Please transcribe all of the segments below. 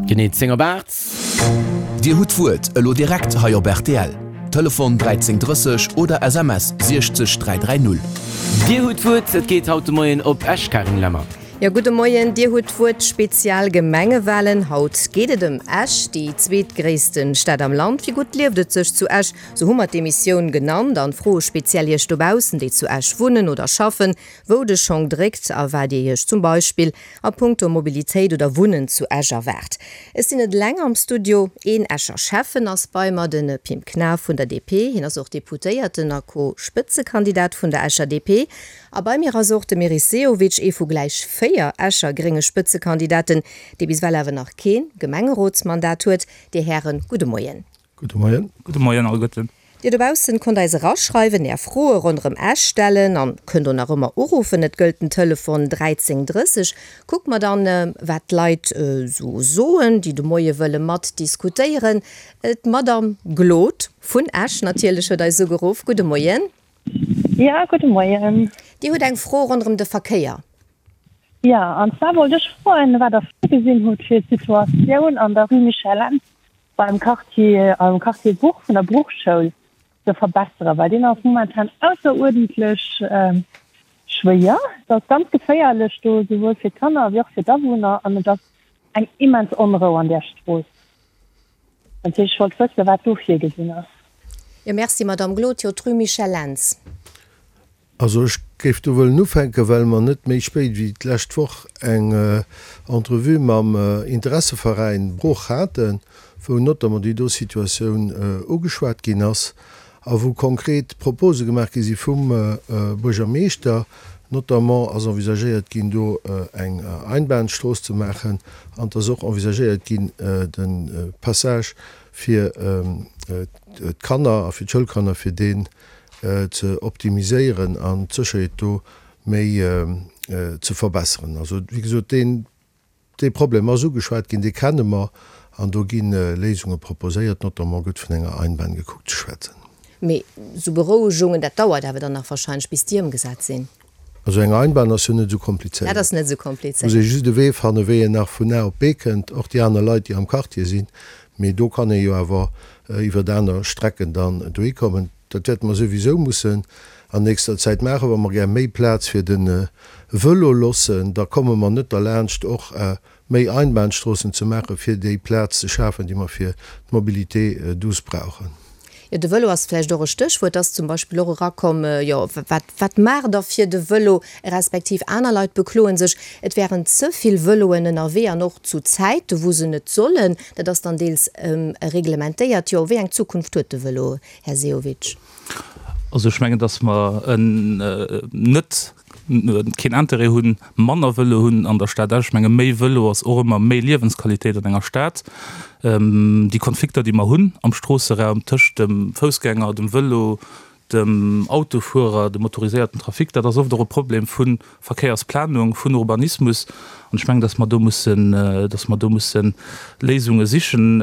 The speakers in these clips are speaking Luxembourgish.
Genee 10 op 8. Dir hutt d'Wuert elo direkt hei op rtl. Telefon 13 30 oder SMS 60 330. Dir hutt d'Wuert, et geet haut de Moien op Esch, Karin Lemmer. Jo, gudde Moien. Dir hutt d'Wuert, Spezial Gemengewalen. Haut geet et ëm Esch, déi zweetgréisste Stad am Land. Wéi gutt lieft et sech zu Esch? Sou hu mer d'Emissioun genannt an froe speziell Iech dobaussen, déi zu Esch wunnen oder schaffen, wou de Schong dréckt a wat Dir Iech zum Beispill a punkto Mobilitéit oder Wunnen zu Esch erwaart. Ech sinn net eleng am Studio, een Escher Schäffen ass bei mer, de Pim Knaff vun der DP. Hien ass och Deputéierten a Co-Spëtzekandidat vun der Escher DP. A bei mir ass och de Meris Sehovic, ee vu gläich 4 Escher grénge Spëtzekandidaten, dee bis ewell awer nach kee Gemengerotsmandat huet. Dir Hären, gudde Moien. Gudde Moien. Gudde Moien alleguerten. Dir dobaussen konnt eis eraschreiwen, är Froe ronderëm Esch stellen an kënnt och nach ëmmer uruffen. Et gëllt den Telefon 13 30. Kucke mer dann, wat d'Leit esou soen, déi de Moie wëlle mat diskutéieren. D'Madame Glod vun Esch natierlech huet eis ugeruff. Gudde Moien. Jo, gudde Moien. Dir hutt eng Fro ronderëm de Verkéier. Jo, an zwar wollt ech froen, wat Der virgesinn hutt fir d'Situatioun an der Rue Michel Lentz beim Quartier, am Quartier Bruch vun der Bruchschoul ze verbesseren, well deen ass momentan ausseruerdentlech schwéier. Et ass ganz geféierlech do, souwuel fir d'Kanner wéi och fir d'Awunner an et ass eng immens Onrou an där Strooss. Dat heescht, ech wollt wëssen, wat do virgesinn ass. Jo, merci, Madamm Glod. Jo, d'Rue Michel Lentz. Also ech géif do wëllen ufänken, well mer net méi spéit wéi d'lescht Woch eng Entrevue mam Interesseveräin Bruch haten, wou notamment déi do Situatioun ugeschwat ginn ass a wou konkret Propose gemaach gi si vum Buergermeeschter. Notamment ass envisagéiert ginn, do eng Einbahnstrooss ze maachen an et ass och envisagéiert ginn, de Passage fir d'Kanner a fir d'Schoulkanner, fir deen ze optimiséieren an d'Sécherheet do méi ze verbesseren. Also, wéi gesot, deen, dee Problem ass ugeschwat ginn, dee kenne mer an do gi Léisunge proposéiert, notamment gëtt vun enger Einbahn gekuckt ze schwätzen. Mee esou Berouegungen, dat dauert awer dann nach wahrscheinlech, bis déi ëmgesat sinn. Also eng Einbahn ass jo net esou komplizéiert. Dat ass net esou komplizéiert. Muss ee just e Wee fannen, wéi een nach vun A op B kënnt, och déi aner Leit, déi am Quartier sinn. Mee do kann ee jo awer iwwert aner Strecken dann dohi kommen. Dat wäerte mer souwisou mussen an nächster Zäit maachen, wa mer gär méi Plaz fir de Vëlo loossen. Da komme mer net derlaanscht, och méi Einbahnstroossen ze maachen, fir déi Plaz ze schafen, déi mer fir d'Mobilité douce brauchen. Jo, de Vëlo ass vläicht och e Stéchwuert, ass zum Beispill och erakomm. Jo, wat, wat maacht Der fir de Vëlo? Respektiv aner Leit bekloe sech, et wären ze vill Vëloen ënnerwee an och zu Zäite wou se net sollen. Dat ass dann deels reglementéiert. Jo, wéi eng Zukunft huet de Vëlo, Här Sehovic? Also ech mengen, datt mer net keen Intérêt hunn, manner Vëlo hunn an der Stad Esch. Ech menge méi Vëlo ass och ëmmer méi Liewensqualitéit an enger Stad. Déi Konflikter, déi mer hunn am Stroosseraum tëscht dem Foussgänger, dem Vëlo, dem Autofuerer, dem motoriséierten Trafic, dat ass oft och e Problem vu Verkéiersplanung, vun Urbanismus. An ech mengen, datt mer do mussen, datt mer do musse Léisunge sichen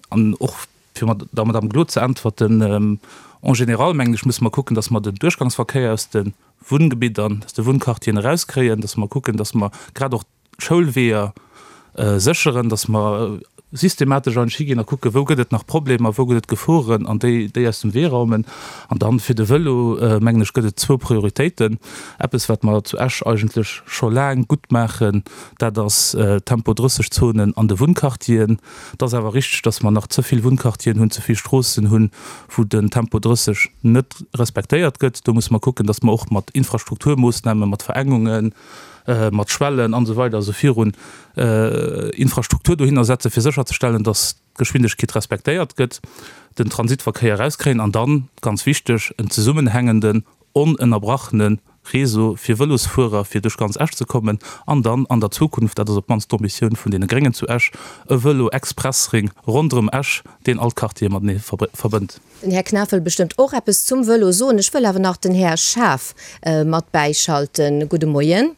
an och, Fir der Madame Glod ze äntwerten, En général, mengen ech, musse mer kucken, dass mer den Duerchgangsverkéier aus de Wunngebiddern, aus de Wunnquartieren erauskréien, dass mer kucken, dass mer grad och d'Schoulweeër sécheren, dass mer systematesch eigentlech higinn a kucken, wou gëtt et nach Problemer, wou gëtt et Geforen an déi, déi aus dem Wee raumen. An dann fir de Vëlo, mengen ech, gëtt et zwou Prioritéiten. Eppes, wat mer zu Esch eigentlech scho laang gutt maachen, dat ass Tempo-30-Zonen an de Wunnquartieren. Et ass awer richteg, dass mer nach ze vill Wunnquartieren hunn, ze vill Stroossen hunn, wou den Tempo 30 net respektéiert gëtt. Do musse mer kucken, dass mer och mat Infrastrukturmoossnamen, mat Verengungen, mat Schwellen an esou weider a sou virun Infrastruktur dohinner setzen, fir sécherzestellen, dass d'Geschwindegkeet respektéiert gëtt, den Transitverkéier erauskréien an dann, ganz wichteg, en zesummenhängenden, onënnerbrachene Réseau fir Vëlosfuerer, fir duerch ganz Esch ze kommen, an dann an der Zukunft, dat ass op d'mannst d'Ambitioun vun deene Gréngen zu Esch, e Vëlo-Expressring ronderëm Esch, deen all d'Quartiere matenee verbënnt. Den Här Knaff wëll bestëmmt och eppes zum Vëlo soen. Ech wëll awer nach den Här Schaaf mat bäischalten. Gudde Moien.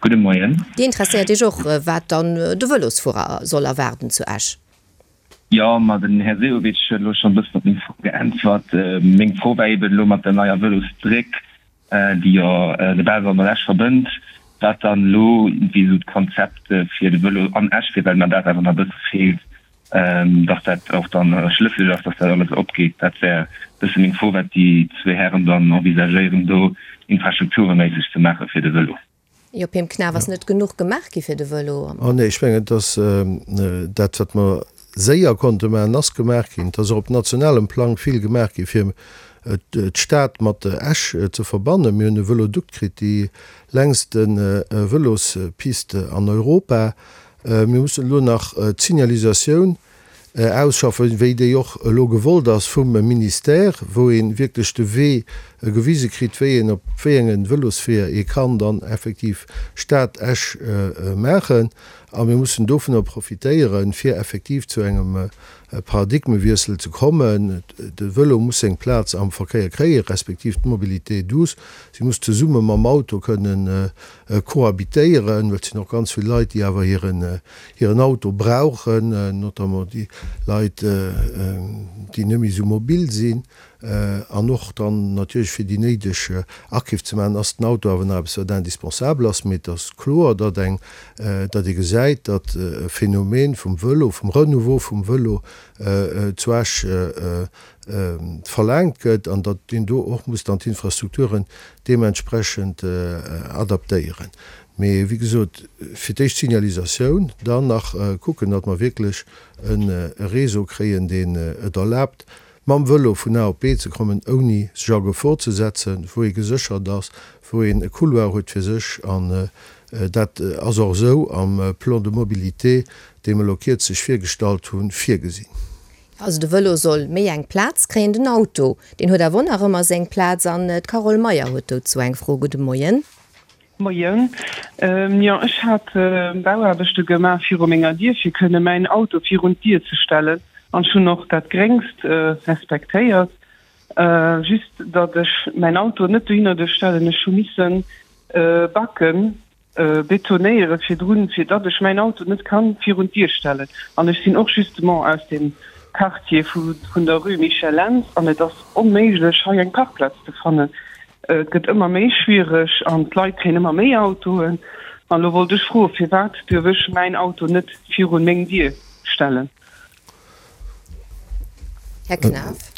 Gudde Moien. Dir interesséiert Iech och, wat dann de Vëlosfuerer soll erwaarden zu Esch? Jo, ma den Här Sehovic huet elo schonn e bëssen op meng Fro geäntwert. Meng Fro war eben elo mat der neier Vëlosbréck, déi jo de Belval mat Esch verbënnt. Wat dann elo iergendwéi esou d'Konzept fir de Vëlo an Esch wier, well mer dat awer nach e bësse feelt, dass dat och dann schlësseg ass, dass dat alles opgeet. Dat wär e bësse meng Fro, wat déi zwee Hären dann envisagéieren do infrastruktureméisseg ze maache fir de Vëlo. Jo, Pim Knaff, ass net genuch gemaach gi fir de Vëlo? Oh nee, ech mengen, dass dat, wat mer séier konnte maachen, ass gemaach ginn. Et ass och op nationalem Plang vill gemaach gi fir d'Stad mat Esch ze verbannen. Mir hunn e Vëlodukt kritt, déi längste Vëlospiste an Europa. Mir mussen elo nach d'Signalisatioun ausschaffen, wéi déi och elo gewollt ass vum Ministère, wou ee wierklech de Wee gewise kritt, wéi een op wéi enge Vëlosweeër ee kann dann effektiv Stad Esch maachen. A mir mussen dovunner profitéieren, fir effektiv zu engem Paradigmewiessel ze kommen. De Vëlo muss seng Plaz am Verkéier kréien, respektiv d'Mobilité douce. Si muss zesumme mam Auto kënnen cohabitéieren, well et sinn och ganz vill Leit, déi awer hiren hiren Auto brauchen, notamment déi Leit, déi net méi esou mobil sinn. An och dann natierlech fir déi néideg Akeef ze maachen, ass den Auto awer nach eppes, wat indispensabel ass. Mee et ass kloer, datt eng, datt ee gesäit, datt e Phänomen vum Vëlo, vum Renouveau vum Vëlo zu Esch verlaangt gëtt an datt een do och muss dann d'Infrastrukturen deementsprechend adaptéieren. Mee wéi gesot, fir d'éischt d'Signalisatioun, dann nach kucken, datt mer wierklech e Réseau kréien, deen et erlaabt, mam Vëlo vun A op B ze kommen, ouni sech a Gefor ze setzen, wou ee geséchert ass, wou een e Couloir huet fir sech. An dat ass och esou am Plan de mobilité, dee mer elo kierzlech virgestallt hunn, virgesinn. Also de Vëlo soll méi eng Plaz kréien, den Auto, deen huet awer och nach ëmmer seng Plaz. An d'Carole Meyer huet dozou eng Fro. Gudde Moien. Moien. Jo, ech hat Bauaarbechte gemaach viru menger Dier, fir kënne mäin Auto virun d'Dier ze stellen. An ech hunn och dat Gréngst respektéiert. Just datt ech mäin Auto net dohinner duerf stellen. Ech hu misse Backen betonéiere virdrun, fir datt ech mäin Auto net kann virun d'Dier stellen. An ech sinn och justement aus dem Quartier vun der Rue Michel Lentz an et ass onméiglech hei eng Parkplaz ze fannen. Et gëtt ëmmer méi schwiereg an d'Leit kréien ëmmer méi Autoen. An elo wollt ech froen, firwat duerf ech mäin Auto net virun meng Dier stellen? Här Knaff.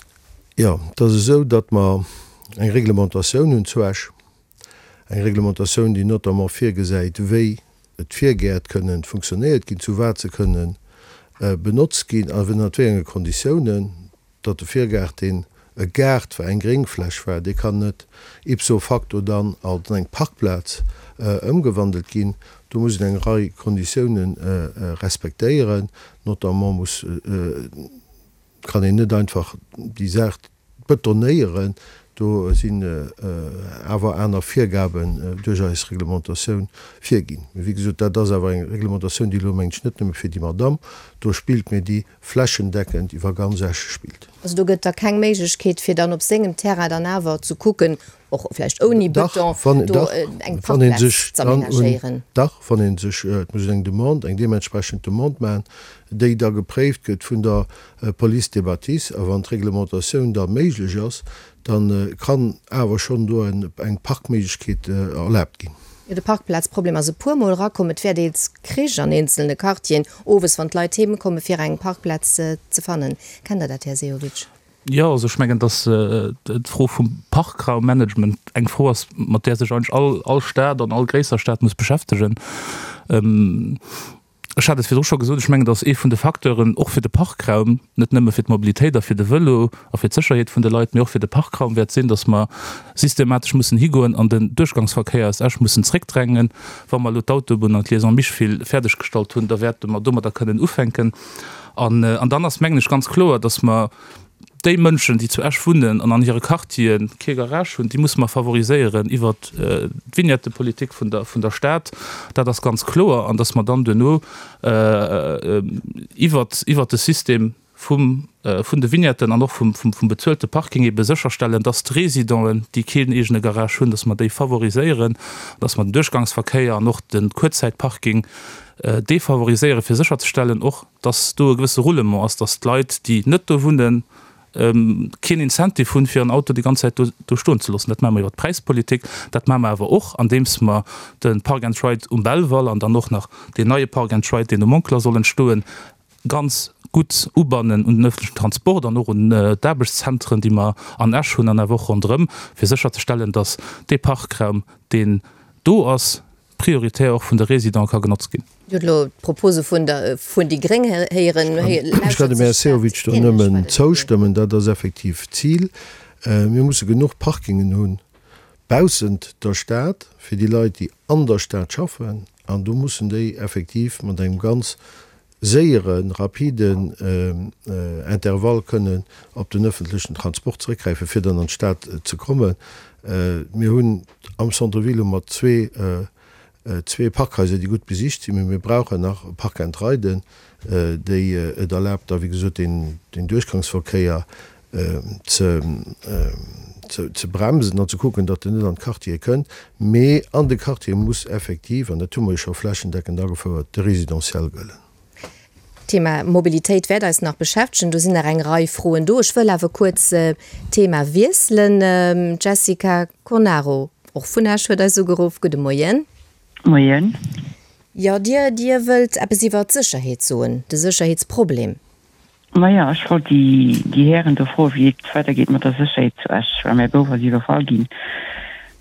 Jo, et ass esou, datt mer eng Reglementatioun hunn zu Esch. Eng Reglementatioun, déi notamment virgesäit, wéi d'Virgäert kënnen funktionéiert ginn, zu wat se kënnen benotzt ginn a ënnert wéi enge Konditiounen. Datt de Virgaart, deen e Gaart war, eng Gréngfläch war, dee kann net ipso facto dann als eng Parkplaz ëmgewandelt ginn. Do muss een eng Rei Konditiounen respektéieren. Notamment muss, kann een net einfach déi Saach betonéieren, do sinn awer aner Virgaben duerch eis Reglementatioun virginn. Mee wéi gesot, dat ass awer eng Reglementatioun, déi elo, mengen ech, net nëmme fir déi Madamm do spillt, mee déi flächendeckend iwwer ganz Esch spillt. Also do gëtt da keng Méiglechkeet, fir dann op sengem Terrain dann awer ze kucken, och vläicht ouni Beton, do eng Parkplaz z'aménagéieren? Dach, wann ee sech, et muss een eng Demande, eng deementsprechend Demande maachen, déi da gepréift gëtt vun der Police des bâtisses, a wann d'Reglementatioun da méiglech ass, da kann awer schonn do eng Parkméiglechkeet erlaabt ginn. Jo, de Parkplazproblem ass e puermol erakomm. Et wär deels Krich an eenzelne Quartieren, owes, wann d'Leit heem kommen, fir eng Parkplaz ze fannen. Kennt Der dat, Här Sehovic? Jo, also ech mengen, datt d'Fro vum Parkraummanagement eng Fro ass, mat där sech eigentlech all all Stad an all gréisser Stad muss beschäftegen. Ech hat et virdru scho gesot, ech mengen, datt ee vun de Facteuren och fir de Parkraum, net nëmme fir d'Mobilitéit a fir de Vëlo a fir d'Sécherheet vun de Leit, mee och fir de Parkraum wäert sinn, datt mer systematesch mussen higoen an den Duerchgangsverkéier aus Esch mussen zréckdrängen. Wa mer elo d'Autobunn an d'Liaison Micheville fäerdeggestallt hunn, da wäerte mer domadder kënnen ufänken. An dann ass, mengen ech, ganz kloer, datt mer déi Mënschen, déi zu Esch wunnen an an hire Quartiere kee Garage hunn, déi musse mer favoriséieren iwwert d'Vignettepolitik vun der, vun der Stad. Dat ass ganz kloer. An datt mer dann duerno iwwert, iwwert de System vum, vun de Vignetten an och vum, vum, vum bezuelte Parking ebe sécherstellen, datt d'Residenten, déi keen eegene Garage hunn, datt mer déi favoriséieren, datt mer den Duerchgangsverkéier an och de Kuerzäitparking defavoriséieren, fir sécherzestellen och, dass do e gewësse Roulement ass, dass d'Leit, déi net do wunnen. Keen Incentive hunn, fir en Auto déi ganz Zäit do do stoen ze loossen. Dat maache mer iwwer d'Präispolitik, dat maache mer awer och, andeems mer de Park and Ride um Belval an dann och nach deen neie Park and Ride, deen um Monkler soll entstoen, ganz gutt ubannen un den öffentlichen Transport an och un d'Aarbechtszentren, déi mer an Esch hunn an awer och ronderëm, fir sécherzestellen, datt dee Parkraum, deen do ass, prioritär och vun de Résidents ka genotzt ginn. Dir hutt elo d'Propose vun der vun déi gréng héieren. Ech kann dem Här Sehovic do nëmmen zoustëmmen. Dat ass effektiv d'Zil. Mir musse genuch Parkingen hunn baussent der Stad fir déi Leit, déi an der Stad schaffen. An do mussen déi effektiv mat engem ganz séieren, rapiden Intervall kënnen op den öffentlechen Transport zeréckgräifen, fir dann an d'Stad ze kommen. Mir hunn am Centre-ville hu mer zwee, zwee Parkhaiser, déi gutt besicht sinn, mee mir brauchen nach Park-and-Riden, déi et erlaabt, da wéi gesot deen, deen Duerchgangsverkéier ze, ze bremsen an ze kucken, datt en net an d'Quartiere kënnt. Mee an de Quartiere muss effektiv, an dat hu mer jo scho flächendeckend agefouert, de Résidentiel gëllen. D'Thema Mobilitéit wäert eis nach beschäftegen. Do sinn nach eng Rei Froen do. Ech wëll awer kuerz d'Thema wiesselen. D'Jessica Cornaro, och vun Esch, huet eis ugeruff. Gudde Moien. Moien. Jo, Dir, Dir wëllt eppes iwwert d'Sécherheet soen, de Sécherheetsproblem. Maja, ech wollt déi Hären do froen, wéi et weidergeet mat der Sécherheet zu Esch, well mäi Bouf ass iwwerfall ginn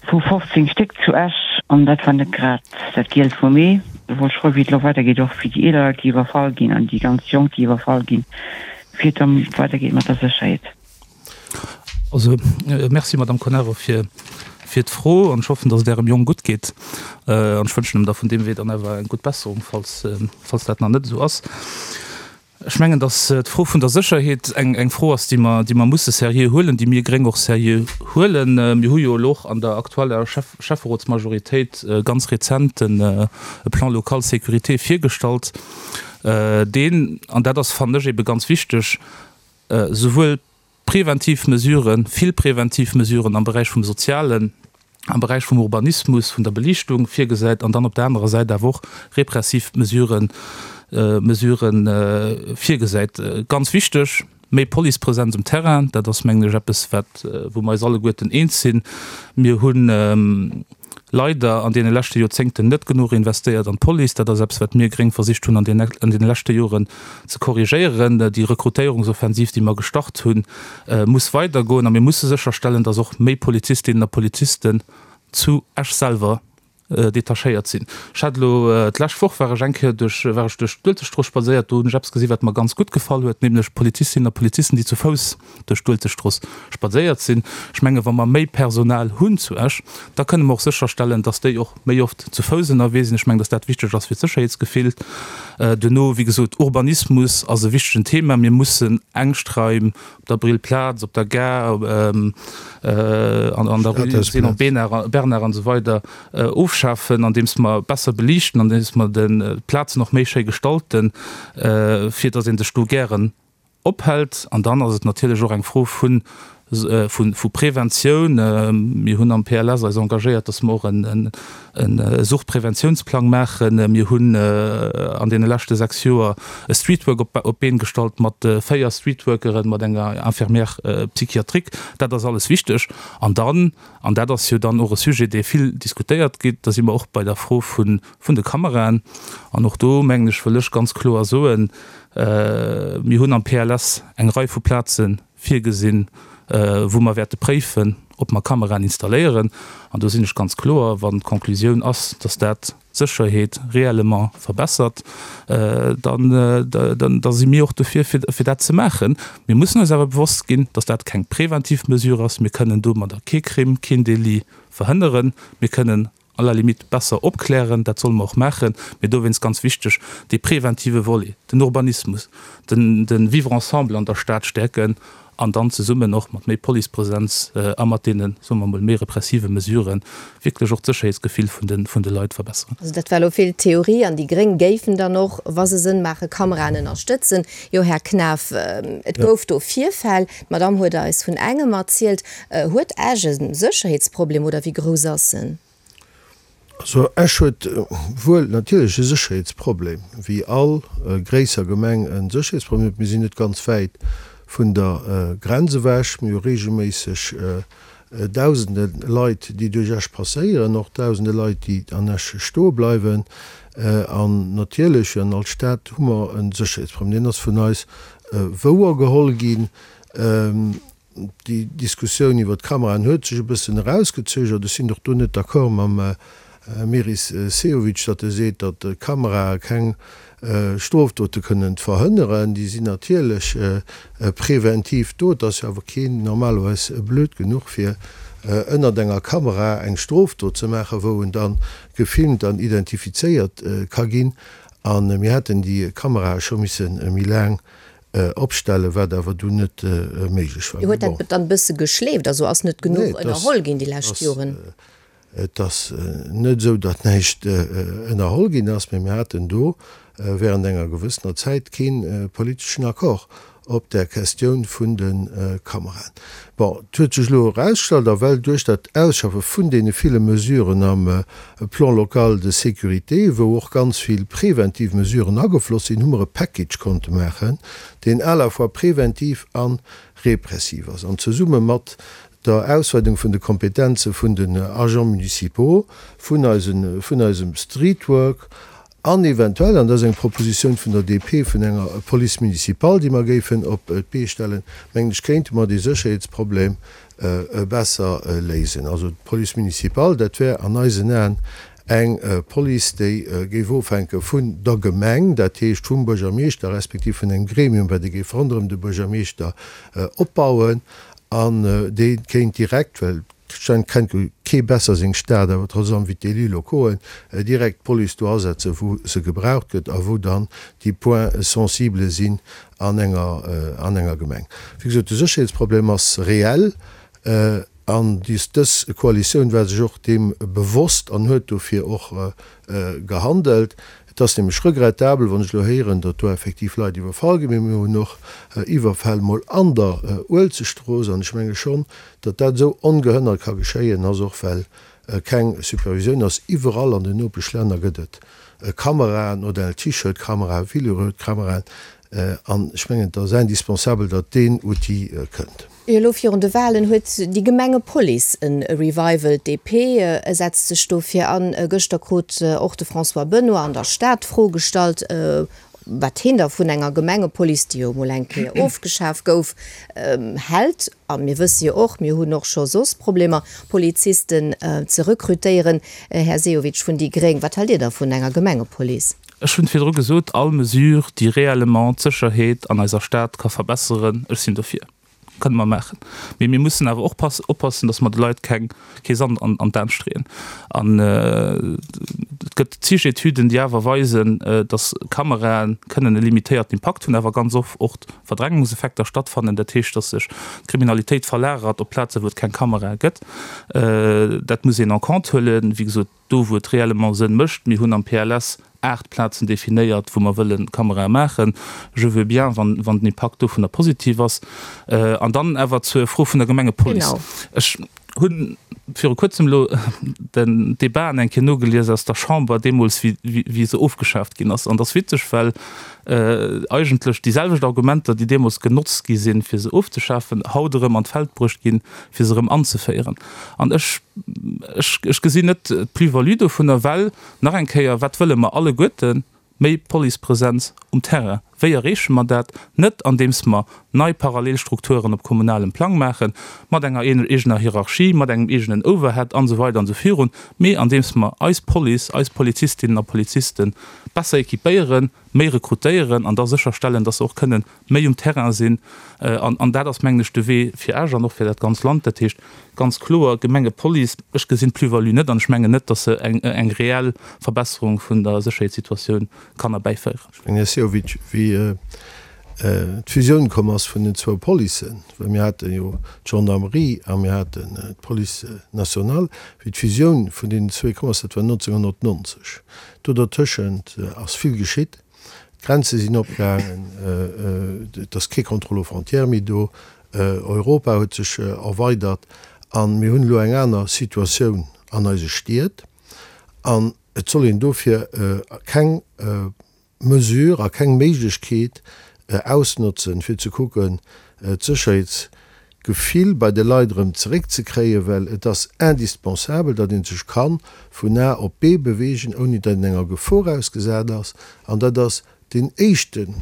vu 15 Stéck zu Esch an dat war net grad dat Gielt vum Ee. Do wollt ech froen, wéi et elo weidergeet, och fir déi eeler Leit, déi iwwerfall ginn an déi ganz Jonk, déi iwwerfall ginn, wéi et da weidergeet mat der Sécherheet. Also, merci Madame Conero fir fir d'Fro an ech hoffen, dass et Ärem Jong gutt geet an ech wënschen em da vun deem Wee dann awer eng gutt Besserung, falls falls dat nach net esou ass. Ech mengen, dass d'Fro vun der Sécherheet eng eng Fro ass, déi mer, déi mer musse seriö huelen, déi mir Gréng och seriö huelen. Mir hu jo elo och an der aktueller Schäff Schäfferotsmajoritéit ganz rezent en e Plan local sécurité virgestallt, deen, an dat ass, fannen ech, ebe ganz wichteg, souwuel Preventiv Mesuren, vill preventiv Mesuren am Beräich vum Sozialen, am Beräich vum Urbanismus, vun der Beliichtung virgesäit an dann op der anerer Säit awer och repressiv Mesuren, Mesuren virgesäit. Ganz wichteg, méi Policepresenz um Terrain, dat ass, mengen ech, eppes, wat, wou mer eis alleguerten eens sinn. Mir hunn leider an deene leschte Joerzéngten net genuch investéiert an d'Police. Dat ass eppes, wat mir Gréng versicht hunn an deene leschte Joren ze korrigéieren. Déi Rekrutéierungsoffensiv, déi mer gestart hunn, muss weidergoen a mir musse sécherstellen, dass och méi Polizistinnen a Polizisten zu Esch selwer detachéiert sinn. Ech hat elo d'lescht Woch war ech eng Kéier duerch war ech duerch d'Uelzechtstrooss spadséiert, do hunn ech eppes gesi wat mer ganz gutt gefall huet, nämlech Polizistinnen a Polizisten, déi zu Fouss duerch d'Uelzechtstrooss spadséiert sinn. Ech menge wa mer méi Personal hunn zu Esch, da kënne mer och sécherstellen, datt déi och méi oft zu Fouss ënnerwee sinn. Ech mengen, datt dat wichteg ass fir d'Sécherheetsgefill. Duerno, wéi gesot, Urbanismus ass e wichtegen Thema. Mir mussen Ängschtraim op der Brillplaz, op der Gare, an der Rue Zénon Bernard an esou weider ofschafen, andeems mer besser beliichten, andeems mer d'Plazen och méi schéi gestalten, fir datt ee sech do gären ophält. An dann ass et natierlech och eng Fro vu vu Preventioun. Mir hunn am PLS eis engagéiert, dass mer och e Suchtpreventiounsplang maachen. Mir hunn an deene leschte 6 Joer e Streetwork op d'Been gestallt mat 4 Streetworkeren, mat enger Infirmière psychiatrique. Dat ass alles wichteg. An dann, an dat ass jo dann och e Sujet, dee vill diskutéiert gétt, da si mer och bei der Fro vun de Kameraen. An och do, mengen ech, wëll ech ganz kloer soen, Mir hunn am PLS eng Rei vu Plaze virgesinn, wou mer wäerte préifen, ob mer Kameraen installéieren. An do sinn ech ganz kloer, Wann d'Conclusioun ass, dass dat d'Sécherheet réellement verbessert, da si mir och dofir, fir dat ze maachen. Mir mussen eis awer bewosst ginn, dass dat keng preventiv Mesure ass. Mir kënnen domadder kee Crime, keen Délit verhënneren. Mir kënnen à la limite besser opklären, dat solle mer och maachen, mee dowéinst ganz wichteg, dee preventive Volet, den Urbanismus, den de Vivre ensemble an der Stad stäerken an dann zesummen och mat méi Policepresenz a mat deene, soe mer emol, méi repressive Mesuren wierklech och d'Sécherheetsgefill vun de vun de Leit verbesseren. Also dat war elo vill Theorie an déi Gréng géifen dann och, wa se Sënn maachen, Kameraen ënnerstëtzen. Jo, Här Knaff, et gouf do Virfäll, d'Madame huet eis vun engem erzielt. Huet Esch e Sécherheetsproblem oder wéi grouss ass en? Also Esch huet wuel natierlech e Sécherheetsproblem, wéi all gréisser Gemeng e Sécherheetsproblem huet. Mir sinn net ganz wäit. vun der Grenz ewech. Mir hu reegelméisseg Dausende Leit, déi duerch Esch passéieren, och dausende Leit, déi an Esch stoe bleiwen. An natierlech, wéi an all Stad, hu mer e Sécherheetsproblem. Deen ass vun eis wouergeholl ginn. Déi Diskussioun iwwer d'Kameraen huet sech e bëssen erausgezögert. Ech sinn och do net d'accord mam Meris Sehovic, datt e seet, datt Kamerae keng Strofdote kënnen verhënneren. Déi sinn natierlech preventiv do. Et ass jo awer keen normalerweis blöd genuch, fir ënnert enger Kamera eng Strofdot ze maachen, wou en da gefilmt an identifizéiert ka ginn. A mir hätten déi Kamerae scho misse méi laang opstellen, wat awer dunn net méiglech war. Huet dat dann e bësse geschleeft? Also ass net genuch ënnerholl ginn déi lescht Joren? Et ass net esou, datt näischt ënnerholl ginn ass, mä mir haten do während enger gewëssener Zäit kee politeschen Accord op där Questioun vun de Kameraen. Bon, et huet sech elo erausgestallt, a well duerch dat Ausschaffe vun deene ville Mesuren am Plan local de sécurité, wou och ganz vill preventiv Mesuren agefloss sinn, hu mer e Package konnte maachen, deen à la fois preventiv a repressiv ass. An zesumme mat der Ausweidung vun de Kompetenze vun den Agents municipaux, vun eisen, vun eisem Streetwork an eventuell, an dat ass eng Propositioun vun der DP, vun enger Police municipale, déi mer géifen op d'Bee stellen, mengen ech, kéinte mer dee Sécherheetsproblem besser léisen. Also d'Police municipale, dat wär an eisen Aen eng Police, déi géif ofhänke vun der Gemeng, dat heescht vum Buergermeeschter respektiv vun engem Gremium, wat ee géif ronderëm de Buergermeeschter opbauen, an dee kéint direkt, well et kennt jo kee besser seng Stad awer trotz allem wéi d'Élus locauxen, direkt d'Police do asetzen, wou se gebraucht gëtt a wou dann déi Points sensibles sinn an enger, an enger Gemeng. Wéi gesot, de Sécherheetsproblem ass reell. An dës Koalitioun war sech och deem bewosst an huet dofir och gehandelt. Et ass nämlech regrettabel, wann ech elo héieren, datt do effektiv Leit iwwerfall ginn. Mee mir hunn och Iwwerfäll mol an der Uelzechtstrooss. An ech menge schonn, datt dat esou ongehënnert ka geschéien, ass och well keng Supervisioun ass. Iwwerall an den Nopeschlänner gëtt et Kameraen, Odell T-Shirt-Kameraen, Villeroy-Kameraen. An ech mengen, et ass indispensabel, datt deen Outil kënnt. Elo virun de Walen huet déi Gemengepolice e Revival. D'DP setzt sech dofir an. Gëschter krut och de François Benoy an der Stad d'Fro gestallt, wat hien da vun enger Gemengepolice, déi jo emol eng Kéier ofgeschaf gouf, hält. A mir wësse jo och, mir hunn och scho soss Problemer, Polizisten ze rekrutéieren. Här Sehovic vun déi gréng, wat haalt Dir da vun enger Gemengepolice? Ech hunn virdru gesot, all Mesure, déi réellement d'Sécherheet an eiser Stad ka verbesseren, ech sinn dofir. Kënne mer maachen. Mee mir mussen awer och oppassen, datt mer de Leit keng, kee Sand an an d'Aen streeën. An et gëtt zig Etüden, déi awer weisen, datt Kamerae kënnen e limitéierten Impakt hunn, awer ganz oft och Verdrängungseffekter stattfannen. Dat heescht, datt sech d'Kriminalitéit verlagert op Plazen, wou et keng Kamerae gëtt. Dat muss een en compte huelen. Wéi gesot, Do wou et réellement Sënn mécht, mir hunn am PLS 8 Plazen definéiert, wou mer wëlle Kamerae maachen, je veux bien, wann, wann den Impakt dovunner positiv ass. An dann awer zur Fro vun der Gemengepolice. Ech hu viru kuerzem elo den Debaten eng Kéier nogelies aus der Chamber, deemools wéi, wéi se ofgeschaaft ginn ass. An et ass witzeg, well eigentlech déi selwecht Argumenter, déi deemools genotzt gi sinn, fir se ofzeschafen, haut erëm an d'Feld bruecht ginn, fir se erëm anzeféieren. An ech, ech, ech gesinn net d'Plus-value dovunner, well, nach eng Kéier, wat wëlle mer alleguerten? Méi Policepresenz um Terrain. Wéi erreeche mer dat? Net andeems mer nei parallel Strukturen op kommunalem Plang maachen, mat enger eegener Hierarchie, mat engem eegenen Overhead an esou weider an esou virun, mee andeems mer eis Police, eis Polizistinnen a Poliziste besser équipéieren, méi rekrutéieren an da sécherstellen, dass se och kënnen méi um Terrain sinn. An dat ass, mengen ech, de Wee fir Esch an och fir dat ganz Land. Dat heescht ganz kloer, Gemengepolice, ech gesinn d'Plus-value net an ech mengen net, datt se eng reell Verbesserung vun der Sécherheetssituatioun kann erbäiféieren. Ech mengen, Här Sehovic, wéi d'Fusioun komm ass vun den zwou Policen, well mir hate jo d'Gendarmerie a mir haten d'Police nationale, wéi d'Fusioun vun deenen zwee komm ass, dat war 1990, do dertëschent ass vill geschitt. D'Grenze sinn opgaangen, et ass kee Contrôle aux frontières méi do, Europa huet sech erweidert a mir hunn elo eng aner Situatioun an eise Stied. An et soll een dofir keng Mesure a keng Méiglechkeet. ausnotzen, fir ze kucken, d'Sécherheetsgefill bei de Leit erëm zeréckzekréien, well et ass indispensabel, datt ee sech ka vun A op B bewegen, ouni datt een enger Gefor ausgesat ass. An dat ass deen éischten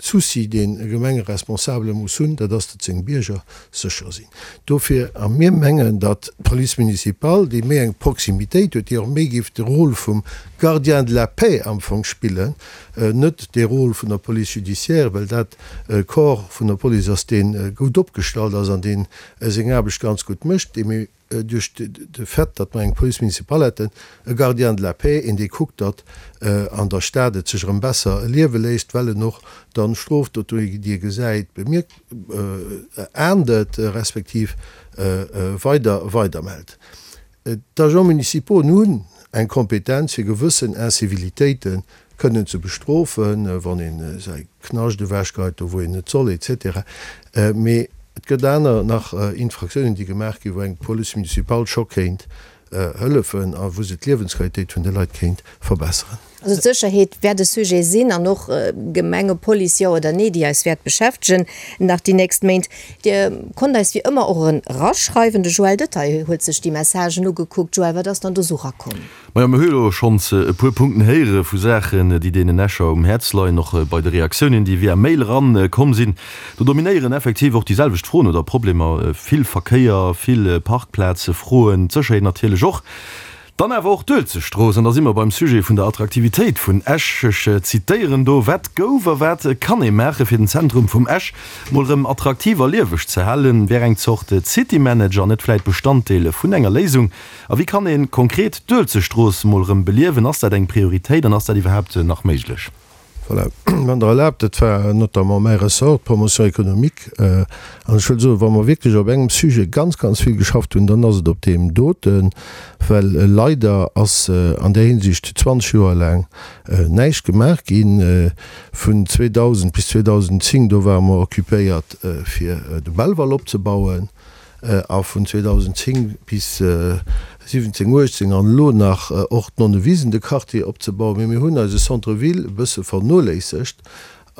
Souci, deen e Gemengeresponsabele muss hunn, dat ass, datt seng Bierger sécher sinn. Dofir, a mir mengen, datt d'Police municipale, déi méi eng Proximitéit huet, déi och méi géif de Rôle vum Gardien de la paix am Fong spillen, net dee Rôle vun der Police judiciaire, well dat e Corps vun der Police ass, dee gutt opgestallt ass an dee seng Aarbecht ganz gutt mécht, dee méi duerch de Fait, datt mer eng Police municipale hätten, e Gardien de la paix, een dee kuckt, datt an der Stad et sech erëm besser liewe léisst, well en och dann Strofdoten, déi e gesäit, bemierkt, ahndet, respektiv weider weidermellt. D'Agents municipaux hunn eng Kompetenz, fir gewëssen Incivilitéite kënnen ze bestrofen, wann een säi Knascht ewechgeheit, do wou een net soll, etc. Mee et gëtt aner nach Infraktiounen, déi gemaach ginn, wou eng Police municipale scho kéint hëllefen a wou se d'Liewensqualitéit vun de Leit kéint verbesseren. Also d'Sécherheet wäert e Sujet sinn an och Gemengepolice, jo oder nee, déi eis wäert beschäftegen nach déi nächst Méint. Dir konnt eis wéi ëmmer och eraschreiwen. De Joël Detaille huet sech déi Messagen ugekuckt. Joël, wat ass dann do sou rakomm? Majo, mir hu jo schonns e puer Punkten héiere vu Saachen, déi deenen Escher um Häerz leien, och bei de Reaktiounen, déi via Mail eran komm sinn. Do dominéieren effektiv och déi selwecht Froen oder Problemer, vill Verkéier, vill Parkplazefroen, d'Sécherheet natierlech och. Dann awer och d'Uelzechtstrooss, an da si mer beim Sujet vun der Attraktivitéit vun Esch. Ech zitéieren do, Wat gouf a wat kann ee maache fir den Zentrum vum Esch mol rëm attraktiv a lieweg ze halen? Wär eng Zort City-Manager net vläit Bestanddeel vun enger Léisung? A wéi kann ee konkret d'Uelzechtstrooss mol rëm beliewen? Ass dat eng Prioritéit an ass dat iwwerhaapt nach méiglech? Voilà, wann Der erlaabt, dat war notamment mäi Ressort, d'Promotion économique. An ech wëll soen, wa mer wierklech op engem Sujet ganz, ganz vill geschafft hunn, dann ass et op deem doten, well leider ass an där Hinsicht 20 Joer laang näischt gemaach ginn. Vun 2000 bis 2010, do ware mer occupéiert fir de Belval opzebauen. a vun 2010 bis 17, 18 an elo nach och d'Nonnewisen, de Quartier opzebauen. Mee mir hunn eise Centre-ville e bësse vernoléissegt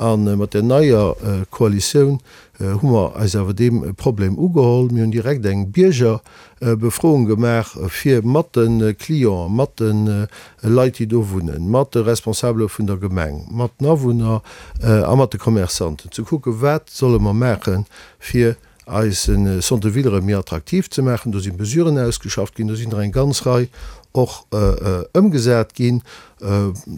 a mat der neier Koalitioun hu mer eis awer deem Problem ugeholl. Mir hunn direkt eng Biergerbefroung gemaach, fir mat de Clienten, mat de Leit, déi do wunnen, mat de Responsabele vun der Gemeng, mat den Awunner a mat de Commerçanten ze kucken, wat solle mer maachen, fir eise Centre ville erëm méi attraktiv ze maachen. Do si Mesuren ausgeschafft ginn, do sinn der eng ganz Rei och ëmgesat ginn,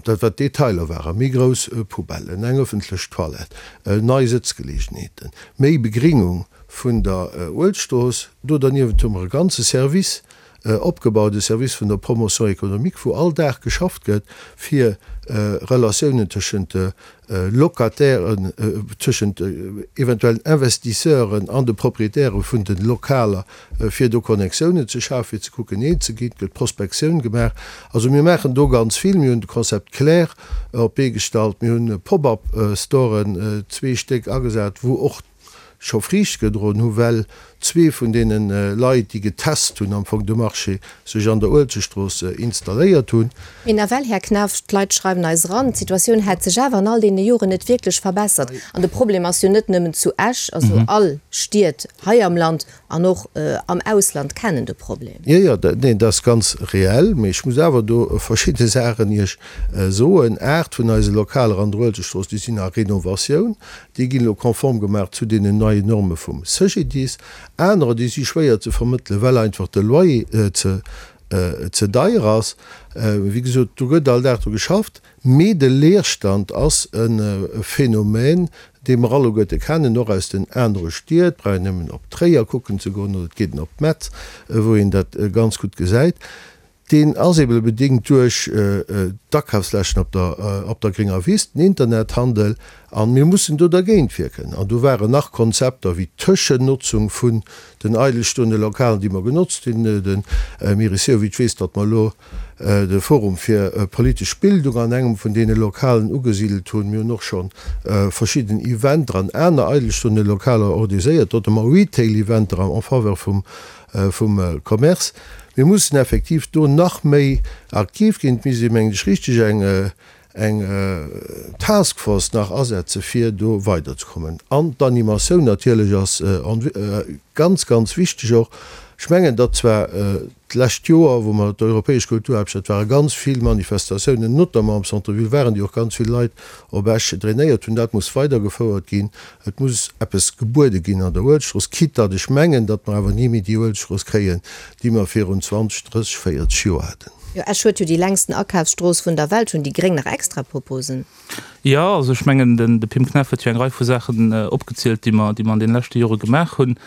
dat wat Detailer waren, méi grouss Poubellen, eng ëffentlech Toilette, nei Sëtzgeleegenheeten, méi Begringung vun der Uelzechtstrooss. Do derniewent hu mer e ganze Service opgebaut, e Service vun der Promotion économique, wou all Dag geschafft gëtt, fir Relatiounen tëschent de Locatairen, tëschent eventuellen Investisseuren an de Proprietäre vun de Lokaler, fir do Connectiounen ze schafen, fir ze kucken, eens ze ginn. Et gëtt Prospektioun gemaach. Also mir maachen do ganz vill. Mir hunn de Concept Clair op d'Bee gestallt. Mir hunn Pop-up-Storen, zwee Stéck, agesat, wou och scho Friicht gedroen hu well zwee vun deene Leit, déi getest hunn am Fong de Marché, sech an der Uelzechtstrooss installéiert hunn. Mee nawell, Här Knaff, d'Leit schreiwen eis eran, d'Situatioun hätt sech awer an all deene Joren net wierklech verbessert. An de Problem ass jo net nëmmen zu Esch, also all Stied hei am Land an och am Ausland kennen de Problem. Jo, jo, neen, dat ass ganz reell. Mee ech muss awer do verschidde Saachen Iech soen. Aacht vun eise Lokaler an der Uelzechtstrooss, déi sinn a Renovatioun. Déi ginn elo konform gemaach zu deenen neien Norme vum CGDIS. Anerer, déi si schwéier ze vermëttelen, well einfach de Loyer ze ze deier ass. Wéi gesot, do gëtt all Dag dru geschafft. Mee de Leerstand ass e Phänomen, dee mer alleguerte kennen, och aus den anere Stied. Et brauch een nëmmen op Tréier kucken ze goen oder et geet een op Metz, wou een dat ganz gutt gesäit. Deen ass eebe bedéngt duerch d'Akafsläschen op der op der grénger Wiss, den Internethandel, a mir mussen do dergéint wierken. An do waren nach Konzepter wéi d'Tëschennotzung vun den eidelstoende Lokalen, déi mer genotzt hunn. De Meris Sehovic weess, datt mer elo de Forum fir politesch Bildung an engem vun deene Lokalen ugesidelt hunn. Mir hunn och scho verschidden Eventer an aner eidelstoende Lokaler organiséiert, notamment Retail-Eventer en faveur vum vum Commerce. Mir mussen effektiv do nach méi aktiv ginn. Et misst ee mengen ech richteg eng. Eng Task Force nach asetze fir do weiderzekommen. An d'Animatioun natierlech ass ganz, ganz wichteg och. Ech mengen, datt zwar d'lescht Joer, wou mer d'Europäesch Kulturhaaptstad waren, ganz vill Manifestatiounen, notamment am Centre-ville waren, déi och ganz vill Leit op Esch drainéiert hunn. Dat muss weidergefouert ginn. Et muss eppes gebuede ginn an der Uelzechtstrooss, quitte datt ech mengen, datt mer awer ni méi déi Uelzechtstrooss kréien, déi mer virun 20, 30, 40 Joer haten. Jo, Esch huet jo déi längsten Akafsstrooss vun der Welt. Hunn déi Gréng nach extra Proposen? Jo, also ech mengen, den de Pim Knaff huet jo eng Rei vu Saachen opgezielt, déi mer, déi mer an deene leschte Jore gemaach hunn.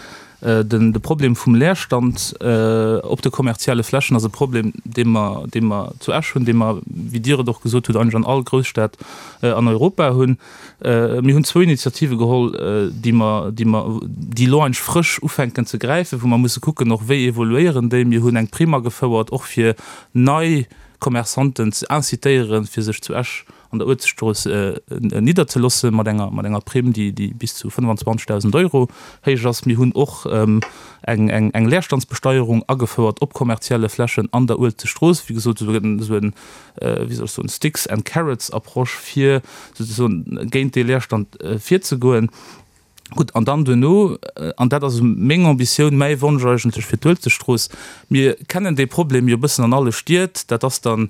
Den de Problem vum Leerstand op de kommerzielle Flächen ass e Problem, dee mer, dee mer zu Esch hunn, dee mer, wéi Dir et och gesot hutt, eigentlech an all Grousstad an Europa hunn. Mir hunn zwou Initiative geholl, déi mer, déi mer, déi elo eigentlech frësch ufänken ze gräifen, wou mer musse kucken och, wéi evoluéieren déi. Mir hunn eng Primm agefouert, och fir nei Commerçanten ze incitéieren, fir sech zu Esch an der Uelzechtstrooss nidderzelosse mat enger, mat enger Primm, déi, déi bis zu 25.000 Euro héich ass. Mir hunn och eng, eng, eng Leerstandsbesteierung agefouert op kommerzielle Flächen an der Uelzechtstrooss. Wéi gesot, esou en, esou en wéi soll ech soen, Sticks and Carrots Approche, fir souzesoen géint dee Leerstand virzegoen. Gutt, an dann duerno, an dat ass meng Ambitioun, mäi Wonsch eigentlech fir d'Uelzechtstrooss, mir kennen dee Problem jo e bëssen an alle Stied, dat ass dann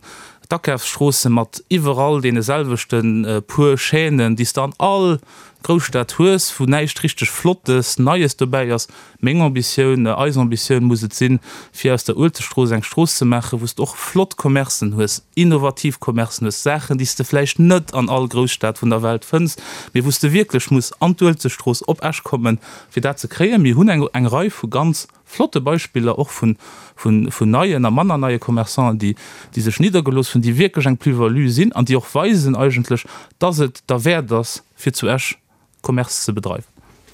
d'Akafsstroosse mat iwwerall deene selwechte puer Chaînen, déi s de an all Grousstad hues, wou näischt richteg Flottes, Neies dobäi ass. Meng Ambitioun, eis Ambitioun muss et sinn, fir aus der Uelzechtstrooss eng Strooss ze maachen, wou s de och flott Commercen hues, innovativ Commercen hues, Saachen, déi s de vläicht net an all Grousstad vun der Welt fënns, mee wou s de wierklech muss an d'Uelzechtstrooss op Esch kommen, fir dat ze kréien. Mir hunn eng eng Rei vu ganz flotte Beispiller och vun vun vun neien a manner neie Commerçanten, déi déi sech niddergelooss hunn, déi wierklech eng Plus-value sinn an déi och weisen eigentlech, dass et derwäert ass, fir zu Esch Commerce ze bedreiwen.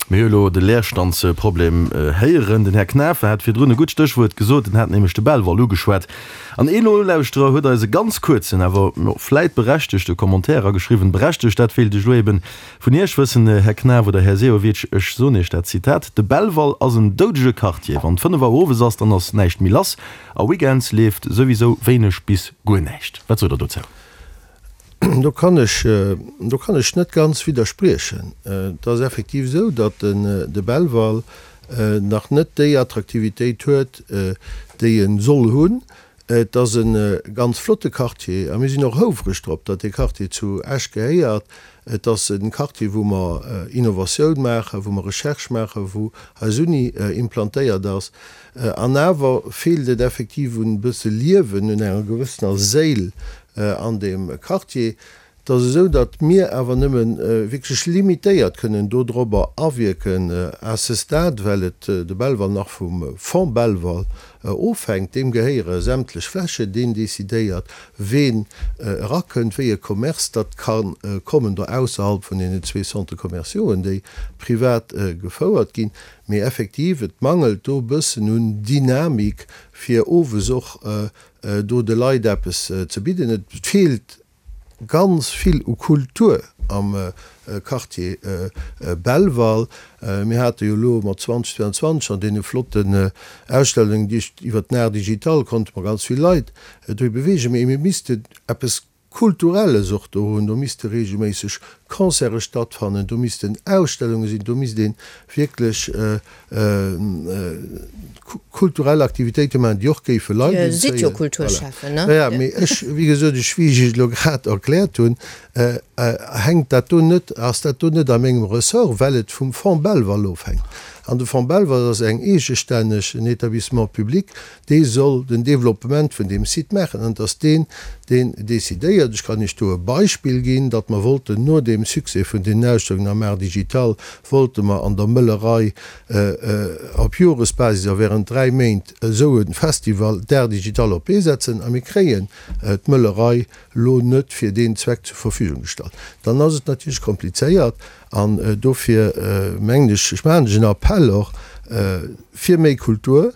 Mir hu elo de Leerstandsproblem héieren. Den Här Knafe hat virdrun e gutt Stéchwuert gesot, en hat nämlech de Belval ugeschwat. An een Nolauschterer huet eis e ganz kuerzen, awer vläit berechtegte Commentaire erageschriwwen. Berechtegt, dat wéilt ech elo eben vun Iech wëssen, Här Knaff oder Här Sehovic. Ech soen Iech dat Zitat, De Belval ass en doudege Quartier. Wann 5 Auer owes ass, dann ass näischt méi lass. A weekends leeft souwisou wéineg bis guer näischt. Wat sot Der dozou? Do kann ech, do kann ech net ganz widderspriechen. Et ass effektiv esou, datt de Belval nach net déi Attraktivitéit huet, déi e soll hunn. Et ass e ganz flotte Quartier a mir sinn och houfreg drop, datt dee Quartier zu Esch gehéiert. Et ass e Quartier, wou mer Innovatioun maachen, wou mer Recherche maachen, wou eis Uni implantéiert ass. An awer feelt et effektiv un e bësse Liewen, un enger gewëssener Séil an deem Quartier. Et ass esou, datt mir awer nëmme wierklech limitéiert kënnen dodrobber awierken à ce stade, well et de Belval nach vum Fonds Belval ofhänkt. Deem gehéiere sämtlech Flächen, deen decidéiert, ween erakënnt, wéi e Commerce datt ka kommen, do ausserhalb vun deenen zwee Centres commerciauxen, déi privat gefouert ginn. Mee effektiv, et mangelt do e bëssen un Dynamik, fir owes och do de Leit eppes ze bidden. Et feelt ganz vill u Kultur am Quartier Belval. Mir hate jo elo mat 2022 an deene flotten Ausstellungen, déi iwwert den Art digital konnte mer ganz vill Leit dohi beweegen. Mee mir missten eppes Kulturelles och do hunn, do misste reegelméisseg Concerte stattfannen, do missten Ausstellunge sinn, do misst ee wierklech kulturell Aktivitéite maachen, déi och géife Leit Dir sidd jo Kulturschäffen, ne? Voilà. Jo, mee ech, wéi gesot, ech, wéi ech Iech elo grad erkläert hunn, hänkt dat do net, ass dat do net a mengem Ressort, well et vum Fonds Belval ofhänkt. An de Fonds Belval ass eng eegestänneg, en Établissement public, Dee soll den Développement vun deem Site maachen an et ass deen, deen decidéiert. Ech kann Iech do e Beispill ginn, datt mer wollten no deem Succès vun deenen Ausstellungen am Art digital, wollte mer an der Möllerei op Joresbasis a während 3 Méint esou e Festival d'Art digital op d'Bee setzen a mir kréien d'Möllerei lo net fir deen Zweck zur Verfügung gestallt. Dann ass et natierlech komplizéiert an dofir mengen ech, ech maachen lech en Appell och fir méi Kultur,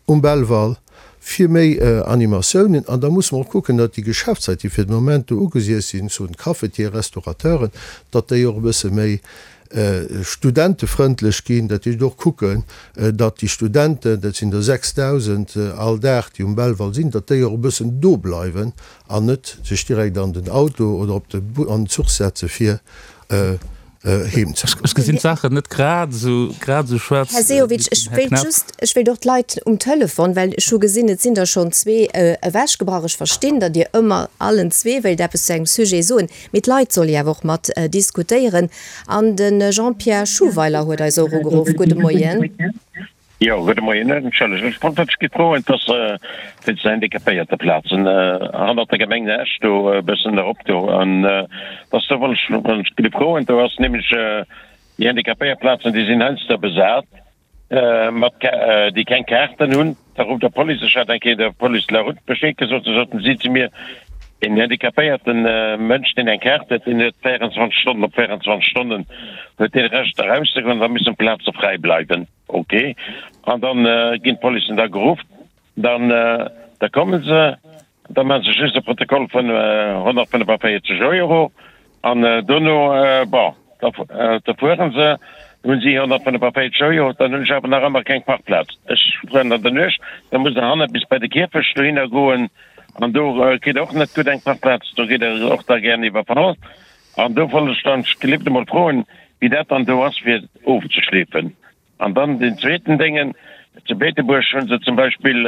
um Belval fir méi Animatiounen. An da musse mer och kucken, datt déi Geschäftsleit, déi fir de Moment do ugesiess sinn, zu den Cafetieren, Restaurateuren, datt déi och e bësse méi. Studentefrëndlech ginn, dat heescht och kucken, datt déi Studenten, dat sinn der 6.000 all Dag, déi um Belval sinn, datt déi och e bëssen do bleiwen an net sech direkt an den Auto oder op de an den Zuch setze fir heem ze Ech gesinn d'Saachen net grad esou grad esou schwaarz Här wéi Sehovic, den ech Här wéilt Knaff. just, ech wéilt och d'Leit um Telefon, well ech hu gesinn, et sinn der schonn zwee ewechgebrach. Ech verstinn, datt Dir ëmmer allen zwee wéilt eppes zu engem Sujet soen, mee d'Leit solle jo awer och mat diskutéieren. An de Jean-Pierre Schuweiler huet eis och ugeruff. Gudde Moien. Jo, gudde Moien. Entschëllegt, ech wollt wierklech gitt froen, dass wéinst den Handicapéierteplazen hannert der Gemeng Esch do e bëssen erop do, an dass do wollt ech wollt ech gitt froen, do ass nämlech déi Handicapéierplazen, déi sinn heiansdo besat mat déi keng Kaarten hunn. Da rufft der Police, ech hat eng Kéier der Police de la Route Bescheed gesot, da soten si zu mir, een handicapéierte Mënsch, deen eng Kaart huet, deen huet 24 Stonnen op 24 Stonnen huet dee Recht erauszegoen, da müssen d'Plaze fräi bleiwen. Ok, an dann ginn d'Policen da geruff, dann da komme se, da maache se just e Protokoll vun 145 Euro an dono, bon, da da fuere se, hunn si 145 Euro, dann hunn ech awer nach ëmmer keng Parkplaz. Ech fueren an der Nuecht, da muss der hanne bis bei de Kierfecht dohinner goen an do kritt Der och net gutt eng Parkplaz, do gitt Der och da gären iwwerfall. An do wollt ech dann gelift emol froen, wéi dat dann do ass, fir ofzeschleefen. An dann deen zweeten Déngen, Zu Beetebuerg hu se zum Beispill,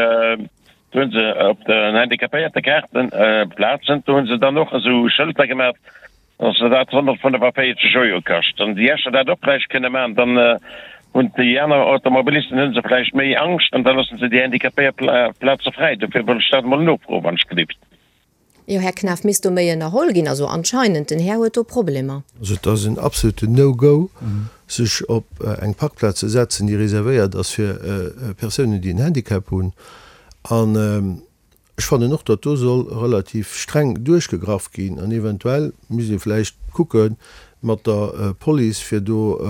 do hu se op den Handicapéiertekaarten Plazen, do hu se dann och esou Schëlter gemaach, dass se dat 145 Euro kascht. Wann déi Escher dat och vläicht kënne maachen, dann hunn déi aner Automobilisten hu se vläicht méi Angscht an da loosse se déi Handicapéiertplaze fräi. Dofir wollt ech dat emol nofroen, wann ech gelift. Jo, Här Knaff, misst do méi ënnerholl ginn? Also anscheinend, den Här huet do Problemer. Also et ass en absoluten No-Go, sech op eng Parkplaz ze setzen, déi reservéiert ass fir Persounen, déi en Handicap hunn. An ech fannen och, datt do soll relativ streng duerchgegraff ginn an eventuell misst ee vläicht kucke mat der Police, fir do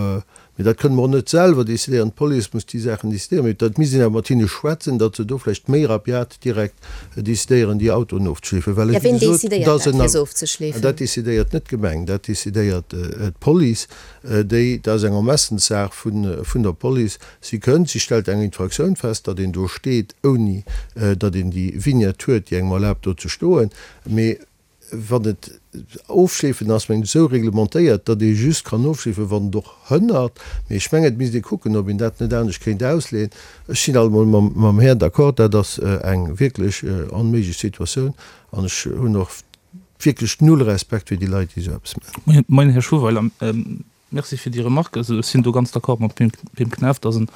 Mee dat kënne mer och net selwer decidéieren, d'Police muss déi Saachen decidéieren. Mee dat misst een awer mat hinne schwätzen, datt se do vläicht méi rabiat direkt decidéieren, déi Autoen ofzeschleefen. Well, Ja, wéi ween gesot, decidéiert dat ass dat, en fir se ofzeschleefen? Dat decidéiert net d'Gemeng, dat decidéiert d'Police. Déi, dat ass eng Ermessenssaach vun, vun der Police. Si kënnt, si stellt eng Infraktioun fest, datt een do steet, ouni datt een déi Vignette huet, déi engem erlaabt, do ze stoen. Mee Wann et ofschleefen ass, mengen ech, esou reglementéiert, datt ee just kann ofschleefen, wann et och hënnert. Mee ech mengen, et misst ee kucken, ob een dat net anescht kéint ausleeën. Ech sinn allemol mam Här d'accord, dat ass eng wierklech onméiglech Situatioun an ech hunn och wierklech null Respekt fir déi Leit, déi esou eppes maachen. Moien, Här Schuweiler. Merci fir déi Remarque. Also ech sinn do ganz d'accord mam Pim Knaff, dat ass en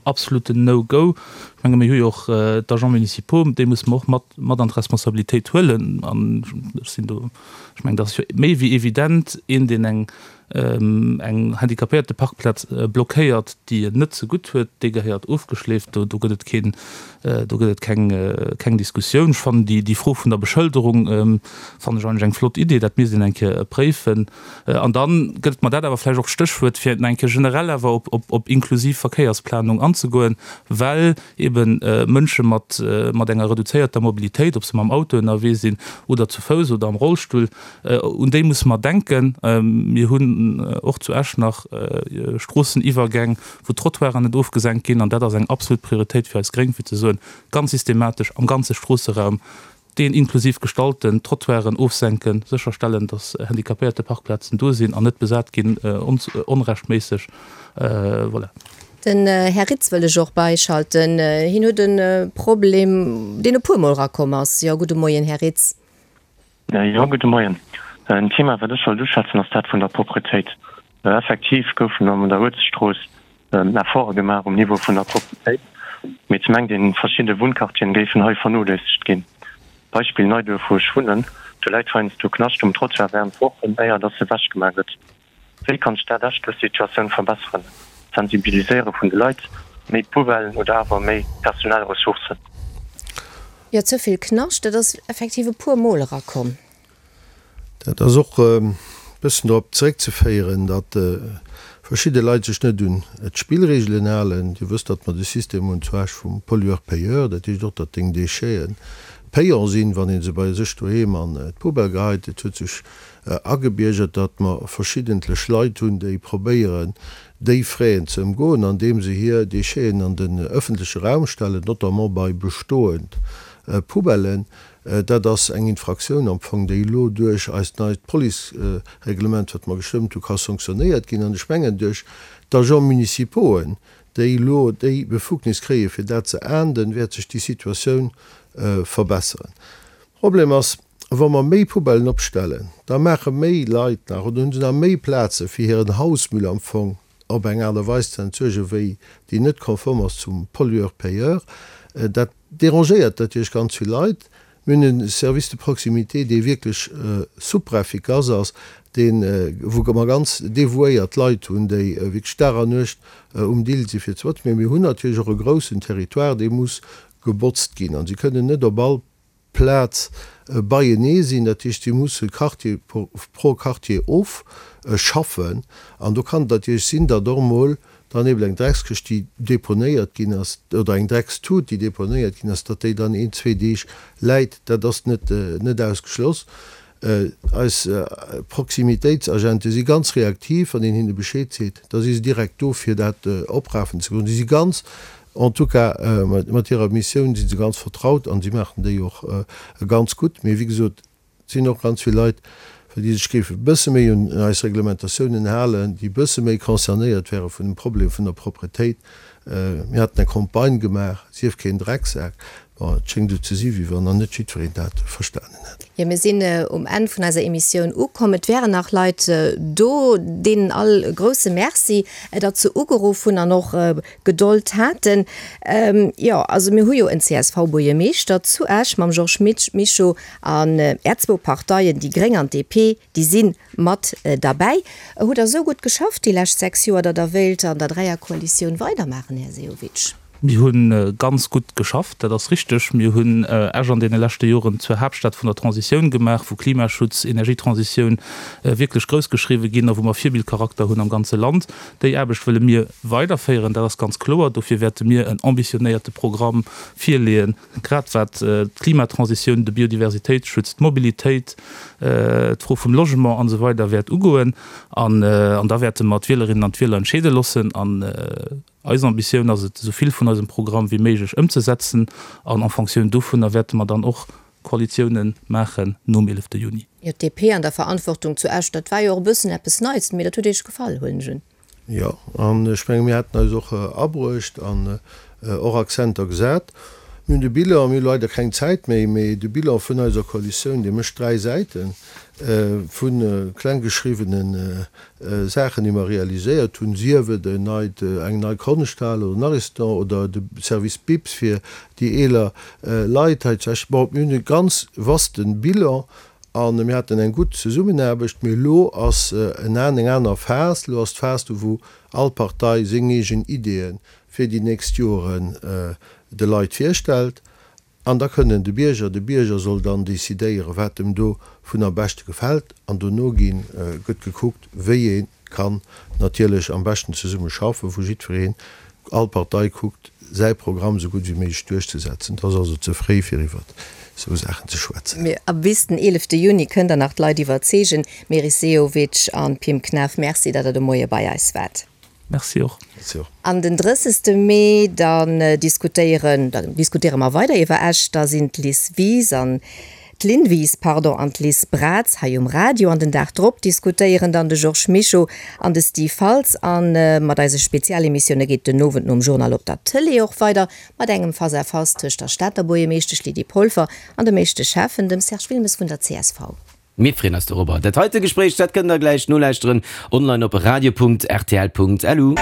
absoluten No-Go. Ech menge mir hu jo och d'Agents municipaux, déi musse mer och mat mat an d'Responsabilitéit huelen. An ech sinn do, ech mengen dat ass jo méi wéi evident, een deen eng eng Handicapéierteparkplaz blockéiert, déi en net zegutt huet, dee gehéiert ofgeschleeft. Do do gëtt et keen, do gëtt et keng keng Diskussioun. Ech fannen déi déi Fro vun der Beschëlderung fannen ech eigentlech eng flott Idee, dat misst een eng Kéier préifen. An da gëtt mer dat awer vläicht och d'Stéchwuert, fir nach eng Kéier generell awer op, op, op inklusiv Verkéiersplanung anzegoen, well ebe Mënsche mat, mat enger reduzéierter Mobilitéit, ob se mam Auto ënnerwee sinn oder zu Fouss oder am Rollstull, un déi musse mer denken. Mir hunn och zu Esch nach Stroosseniwwergäng, wou d'Trottoiren net ofgesenkt ginn, an dat ass eng absolut Prioritéit fir eis Gréng, fir ze soen, ganz systematesch am ganze Stroosseraum Deen inklusiv gestalten, Trottoiren ofsenken, sécherstellen, datt Handicapéierteparkplazen do sinn an net besat ginn onrechtméisseg. Voilà. Den Här Ritz wëll ech och beischalten. Hien huet e Problem, deen e puermol erakomm ass. Jo, gudde Moien, Här Ritz. Jo, gudde Moien. En Thema, wat ech wollt uschwätzen, ass dat vun der Propretéit. Effektiv goufen an der Uelzechtstrooss Efforte gemaach um Niveau vun der Propretéit, mee et mengt een, verschidde Wunnquartieren géifen hei vernoléissegt ginn. Beispill Neiduerf, wou ech wunnen, do läit heiansdo Knascht um Trottoir während Wochen, éier dass ewech gemaach gëtt. Wéi kann d'Stad Esch dës Situatioun verbesseren? Sensibiliséiere vun de Leit, méi Poubellen oder awer méi personell Ressourcen? Jo, ze vill Knascht, dat ass effektiv e puer Mol erakomm. Dat ass och e bëssen drop zeréckzeféieren, datt verschidde Leit sech net un d'Spillregelen halen. Dir wësst, datt mer de System hunn zu Esch vum Pollueur-payeur. Dat heescht och, datt deng Déchete payant sinn, wann ee se bei sech doheem an d'Poubelle geheit. Et huet sech. agebiergert, datt mer verschiddentlech Leit hunn, déi probéieren, déi Fräen ze ëmgoen, andeem se hir Décheten an den ëffentleche Raum stellen, notamment bei bestoend Poubellen. Dat ass eng Infraktioun am Fong, déi elo duerch eist neit Policereglement, wat mer gestëmmt hunn, ka sanktionéiert ginn. An ech mengen, duerch d'Agents municipauxen, déi elo déi Befugnis kréien, fir dat ze ahnden, wäert sech déi Situatioun verbesseren. Problem ass, wa mer méi Poubellen opstellen, da maache méi Leit nach oder hunn se nach méi Plaze fir hiren Hausmüll am Fong op eng Aart a Weis ze entsuergen, wéi déi net konform ass zum Pollueur-payeur. Dat derangéiert natierlech ganz vill Leit. Mir hunn e Service de proximité, dee wierklech super efficace ass, deen, wou mer ganz devouéiert Leit hunn, déi wierklech Dag an Nuecht um Dill si fir ze botzen. Mee mir hunn natierlech och e groussen Territoire, dee muss gebotzt ginn a si kënnen net op all Plaz beienee sinn. Dat heescht, si musse Quartier pro Quartier ofschaffen. An do kann et natierlech sinn, datt och emol dann eeben eng Dreckskëscht, déi deponéiert ginn ass, oder eng Dreckstut, déi deponéiert ginn ass, datt déi dann een, zwee Deeg läit. Dat ass net net ausgeschloss. Eis Proximitéitsagente si ganz reaktiv, wann een hinne Bescheed seet, da si se direkt do fir dat oprafen ze goen. Si si ganz, en tout cas mat hirer Missioun si se ganz vertraut an si maachen déi och ganz gutt. Mee wéi gesot, et sinn och ganz vill Leit, déi sech géife bësse méi un eis Reglementatiounen halen, déi bësse méi concernéiert wäre vun dem Problem vun der Propretéit. Mir haten eng Campagne gemaach, Sief keen Drecksak. Bon, et schéngt esou ze si wéi wann nach net jiddwereen dat verstanen hätt. Jo, mir sinn um Enn vun eiser Emissioun ukomm. Et wären nach Leit do, deenen all e grousse Merci, datt se ugeruff hunn an och Gedold haten. Jo, also mir hu jo en CSV-Buergermeeschter zu Esch mam Georges Mischo an Är zwou Parteien, déi gréng an d'DP, déi si mat derbäi. Hutt Der esou gutt geschafft déi lescht 6 Joer, datt Der wéilt an der Dräierkoalitioun weidermaachen, Här Sehovic? Mir hu ganz gutt geschafft, dat ass richteg. Mir hunn Esch an deene leschte Joren zur Haaptstad vun der Transitioun gemaach, wou Klimaschutz, Energietransitioun wierklech groussgeschriwwe ginn a wou mer Virbildcharakter hunn am ganze Land. Déi Aarbecht wëlle mir weiderféieren, dat ass ganz kloer. Dofir wäerte mir en ambitionéierte Programm virleeën, grad wat d'Klimatransitioun, de Biodiversitéitsschutz, d'Mobilitéit, d'Fro vum Logement an esou weider wäert ugoen. An da wäerte mer d'Wielerinnen an d'Wieler entscheede loossen. Eis Ambitioun ass et, esou vill vun eisem Programm wéi méiglech ëmzesetzen an en Fonctioun dovunner wäerte mer dann och Koalitiounen maachen nom 11 Juni. Jo, d'DP an der Verantwortung zu Esch, dat war jo och e bëssen eppes Neits, mee dat huet Iech gefall, huelen ech un. Jo, an ech menge mir haten eis och abruecht an och Akzenter gesat. Mir hunn de Bilan, mir hu leider keng Zäit méi, mee de Bilan vun eiser Koalitioun, dee mécht 3 Säiten vu klenggeschriwwene Saachen, déi mer realiséiert hunn, sief et en neit, eng nei Konschthal oder en Ariston oder de Service BIPS fir déi eeler Leit hei zu Esch. Bon, mir hunn e ganz vaste Bilan a mir haten eng gutt Zesummenaarbecht. Mee elo ass en eng aner Phas. Elo ass d'Phas do, wou all Partei seng eegen Ideeë fir déi nächst Joren de Leit virstellt. An da kënnen de Bierger, de Bierger soll dann decidéieren, wat em dovun am beschte gefält. An dono ginn, gëtt gekuckt, wéi ee kann natierlech am beschten zesumme schaffen, wou jiddwereen, all Partei kuckt, säi Programm esou gutt wéi méiglech duerchzesetzen. Et ass also ze fréi, fir iwwert esou Saachen ze schwätzen. Mee a bis den 11 Juni kënnt Der nach d'Leit iwwerzeegen. Meris Sehovic an Pim Knaff, Merci, datt Der de Moie bei eis waart. Merci och. An den 30. Mee, dann diskutéieren, dann diskutéiere mer weider iwwer Esch. Da sinn d'Liz Wies an, d'Lynn Wies, pardon, an d'Liz Braz hei um Radio. An den Dag drop diskutéieren dann de Georges Mischo an de Steve Faltz. A mat eise Spezialemissioune geet den Owend nom Journal op der Tëlee och weider mat engem Face-à-face tëscht der Stater Buergermeeschtesch Lydie Polfer an dem éischte Schäffen, dem Serge Wilmes vun der csv. Mir freeën eis dorobber. Dat heite Gespréich, dat kënnt der gläich nolauschteren online op radio.rtl.lu.